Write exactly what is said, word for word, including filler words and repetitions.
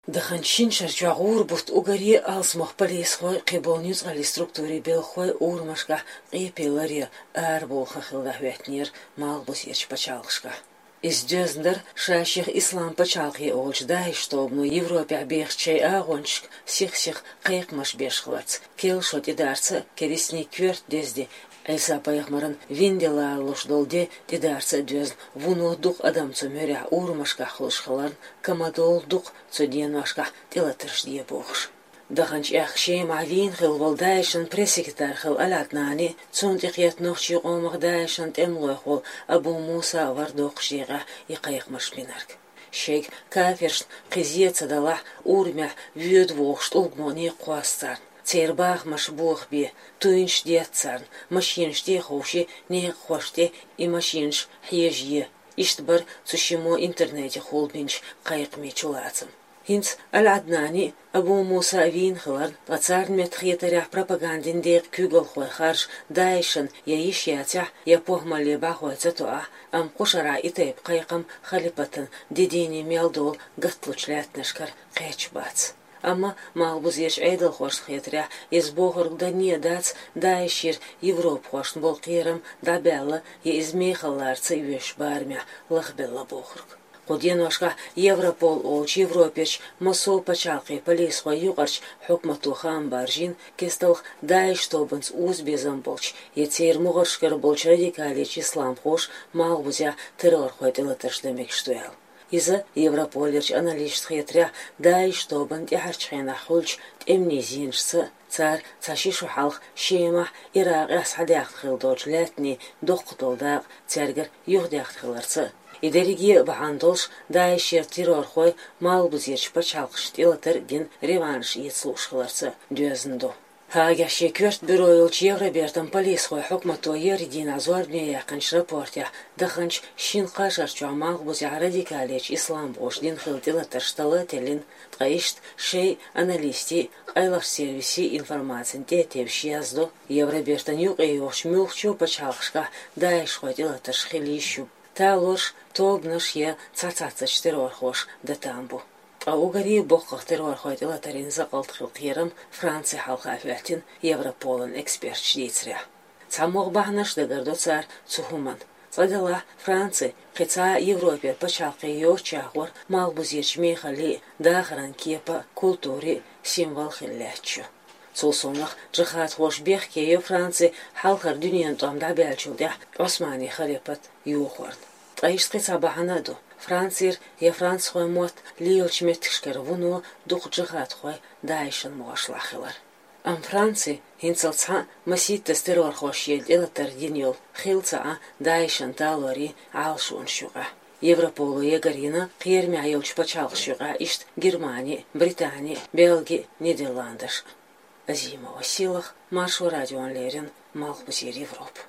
Даханчу шина шарчохь гӀура бутт уггаре а алсамох полисхой, кхиболу нуьцкъаллин структурийн белхахой урамашкахь къепе ларъян арабовла хан хилла дӀахӀоьттинера малхбузерчу пачхьалкхашкахь. Иза доьзна дара ша-шех Ислам пачхьалкхе олучу ДАИШ тобано Европехь бехачу шайн агӀончашка сих-сиха кхайкхамаш беш хиларца, керла шо тӀедарца а, керстанийн коьрта деза де, Ӏийса-пайхамаран вина де ларалуш долу де тӀедарца а доьзна, вуно дукха адам цу муьрехь урамашкахь хуьлуш хиларна, ка ма долу дукха цу деношкахь тӀелатарш де бохуш. Даханчу аьхка Шемахь вийна хилла волу ДАИШан пресс-секретарь хилла Аль-Ӏаднани, цунна тӀекхетта нохчийн къомах ДАИШан тӀемалойх волу Абу Муса а вара доккхачу декъехь и кхайкхамаш бинарг. Шайга кафиршна кхин зен ца далахь, урамехь воьду бохуш тӀулгано некъ кхосса царна. Церан бахамаш бохабе, туйнаш детта царна, машенаш тӀе а ховший, некъахошна тӀе и машенаш хьежае. Иштта бара цу шиммо интернетехула бинчу кхайкхамийн чулацам. ХӀинца Аль-Ӏаднани а, Абу Муса а вийна хиларна, ткъа царна меттахетарехь пропагандин декъан куьйгалхой харжа ДАИШан я йиш яцахь, я похӀмалле бӀахой ца тоахь, амма кху шарахь и тайпа кхайкхам халипатан де дийне мел долу гатталучу лаьттанашкара кхеташ бац. Амма малхбузерчу Ӏедалхошна хетарехь, иза бохург данне а дац ДАИШера европахошна болу кхерам дӀабаьлла я иза мехаллаца а оьшуш барамехь лахбелла бохург. Кху деношкахь Европол олучу Европерчу массо а пачхьалкхийн полисхойн юкъарчу хьукмато хаам баржийна, кесталх ДАИШ тобанца уза безам болчу я церан могӀаршкара болчу радикалечу исламхоша малхбузехь террорхойн тӀелатарш дан мегаш ду аьлла. Иза, Европолерчу аналисташна хетарехь, ДАИШ тобанна тӀаьхьарчу хенахь хуьлучу тӀемнийн зенашца а, цара цхьа ши шо хьалха Шемахь, Иракъехь схьадаьхна хилла долчу лаьттанийн доккха долу дакъа цаьргара юхадаьхна хиларца а, и дерриге а бахьана долуш, ДАИШера террорхой малхбузерчу пачхьалкхашна тӀелатар а дина, реванш эца лууш хиларца а доьзна ду. Гаагехь шен коьрта бюро йолчу Евробертан полисхойн хьукмато еарин дийнахь зорбане яьккхинчу рапортехь, даханчу шина-кхаа шарчохь малхбузехь радикалечу исламхоша дина хилла тӀелатарш тала а теллина, ткъа иштта шайн аналистийн, къайлахчу сервисийн информацина тӀе а тевжаш яздо, Евробертан юкъайогӀучу муьлххачу а пачхьалкхашкахь ДАИШхойн тӀелатарш хила йиш ю. Талорш тобанаш я цхьацца-цхьаццачу террорхоша дан там бу. Ткъа уггаре а боккхах террорхойн тӀелатарийн закъалт хила кхерам Франци хьалха хӀоьттина, Европолан эксперташа дийцарехь. Цхьа могӀа бахьанаш дагардо цара цу хӀуманна. Цкъа делахь, Франци кхин цхьа а Европера пачхьалкхе йоцучех вара малхбузерчу мехаллин а, дахаран кепан а, культурин а символ хила лаьтташ ю. Цул совнаха, джихадхоша бехке йо Франци хьалхара дуьненан тӀом дӀабаьллачул тӀаьхьа Ӏусманийн халипат йохорна. Ткъа иштта кхин цхьа бахьана а ду. Францера я францхойн мотт лелачу меттигашкара вуно дукха джихадхой ДАИШан могӀаршлахь хилар. Амма Франци хӀинццалц цхьаъ масийттаза террорхоша шена тӀелатар дина йолу хилла ца Ӏа ДАИШан талорийн Ӏалашонаш юкъахь. Европоло ягарйина кхерамехь йолчу пачхьалкхаш юкъахь иштта Германи, Британи, Бельги, Нидерландаш. Азимова Силах, Маршо радиона леррина, Малхбузера Европа.